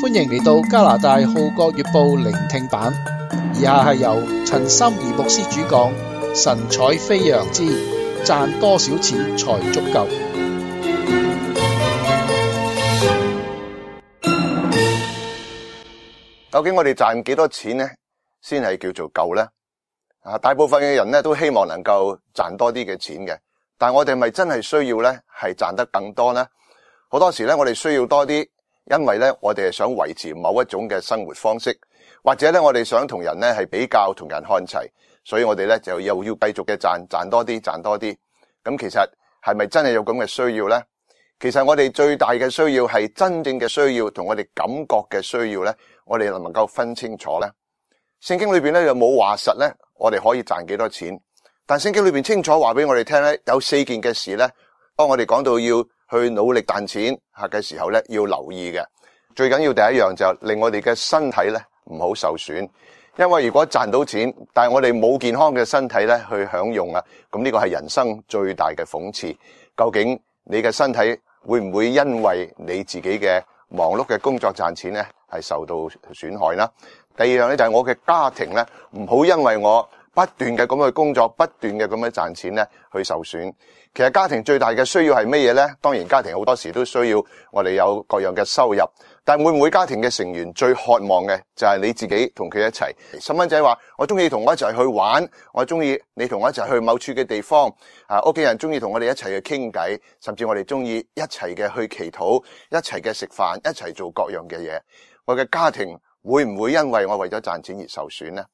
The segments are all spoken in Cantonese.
歡迎嚟到加拿大《號角月報》聆聽版，以下係由陳心怡牧師主講，神采飛揚之賺多少錢才足夠。究竟我哋賺幾多錢呢先係叫做夠呢？大部分嘅人呢都希望能夠賺多啲嘅錢嘅，但我哋咪真係需要呢係賺得更多呢？好多時呢我哋需要多啲，因為呢我哋係想維持某一種嘅生活方式，或者呢我哋想同人呢係比較，同人看齊，所以我哋呢就又要繼續嘅賺多啲。咁其實係咪真係有咁嘅需要呢？其實我哋最大嘅需要係真正嘅需要同我哋感覺嘅需要呢，我哋能唔能夠分清楚呢？聖經裏邊呢又冇話實呢，我哋可以賺幾多錢，但聖經裏邊清楚話俾我哋聽呢，有4件嘅事呢，當我哋講到要去努力賺錢嘅時候呢，要留意嘅。最緊要第一樣就令我哋嘅身體呢唔好受損，因為如果賺到錢，但係我哋冇健康嘅身體呢去享用啊，咁呢個係人生最大嘅諷刺。究竟你嘅身體會唔會因為你自己嘅忙碌嘅工作賺錢呢係受到損害呢？第二樣呢，就係我嘅家庭呢，唔好因為我不斷嘅咁去工作，不斷嘅咁樣賺錢呢去受損。其實家庭最大嘅需要係乜嘢呢？當然家庭好多時都需要我哋有各樣嘅收入，但係每家庭嘅成員最渴望嘅就係你自己同佢一齊。細蚊仔話我中意同我一齊去玩，我中意你同我一齊去某處嘅地方，屋企人中意同我哋一齊去傾偈，甚至我哋中意一齊嘅去祈禱，一齊嘅食飯，一齊做各樣嘅嘢。我嘅家庭會唔會因為我為咗賺錢而受損呢？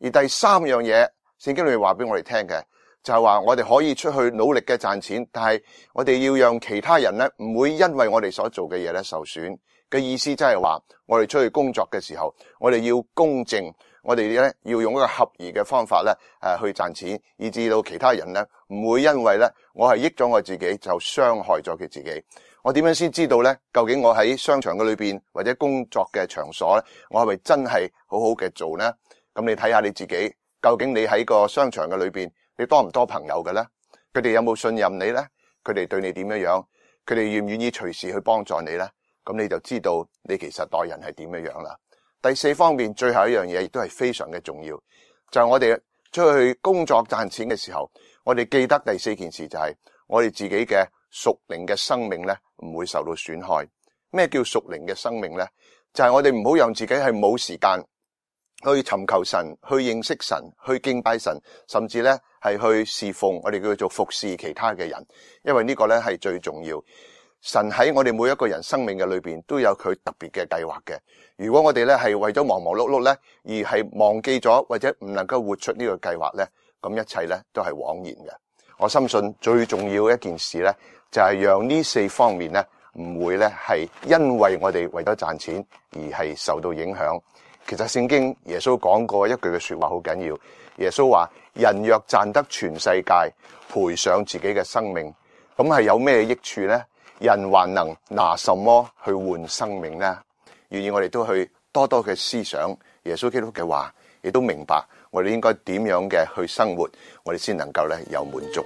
而第三樣嘢，聖經裏面話俾我哋聽嘅就係話我哋可以出去努力嘅賺錢，但係我哋要讓其他人呢唔會因為我哋所做嘅嘢呢受損嘅意思，即係話我哋出去工作嘅時候，我哋要公正，我哋呢要用一個合宜嘅方法呢去賺錢，以至到其他人呢唔會因為呢我係益咗我自己就傷害咗佢自己。我點樣先知道呢？究竟我喺商場嘅裏邊或者工作嘅場所呢，我係咪真係好好嘅做呢？咁你睇下你自己，究竟你喺個商場嘅裏邊，你多唔多朋友嘅呢？佢哋有冇信任你呢？佢哋對你點樣？佢哋願唔願意隨時去幫助你呢？咁你就知道你其實待人係點樣啦。第4方面，最後一樣嘢亦都係非常嘅重要，就係我哋出去工作賺錢嘅時候，我哋記得第4件事就係我哋自己嘅屬靈嘅生命呢唔會受到損害。咩叫屬靈嘅生命呢？就係我哋唔好讓自己係冇時間去尋求神，去認識神，去敬拜神，甚至呢係去侍奉，我哋叫做服侍其他嘅人，因為呢個呢係最重要。神喺我哋每一個人生命嘅裏邊都有佢特別嘅計劃嘅。如果我哋呢係為咗忙忙碌碌呢，而係忘記咗或者唔能夠活出呢個計劃呢，咁一切呢都係枉然嘅。我深信最重要一件事呢，就係讓呢4方面呢唔會呢係因為我哋為咗賺錢而係受到影響。其實聖經耶穌講過一句嘅說話好緊要，耶穌話人若賺得全世界，賠上自己嘅生命，咁係有咩益處呢？人還能拿什麼去換生命呢？願意我哋都去多多嘅思想耶穌基督嘅話，亦都明白我哋應該點樣嘅去生活，我哋先能夠呢有滿足。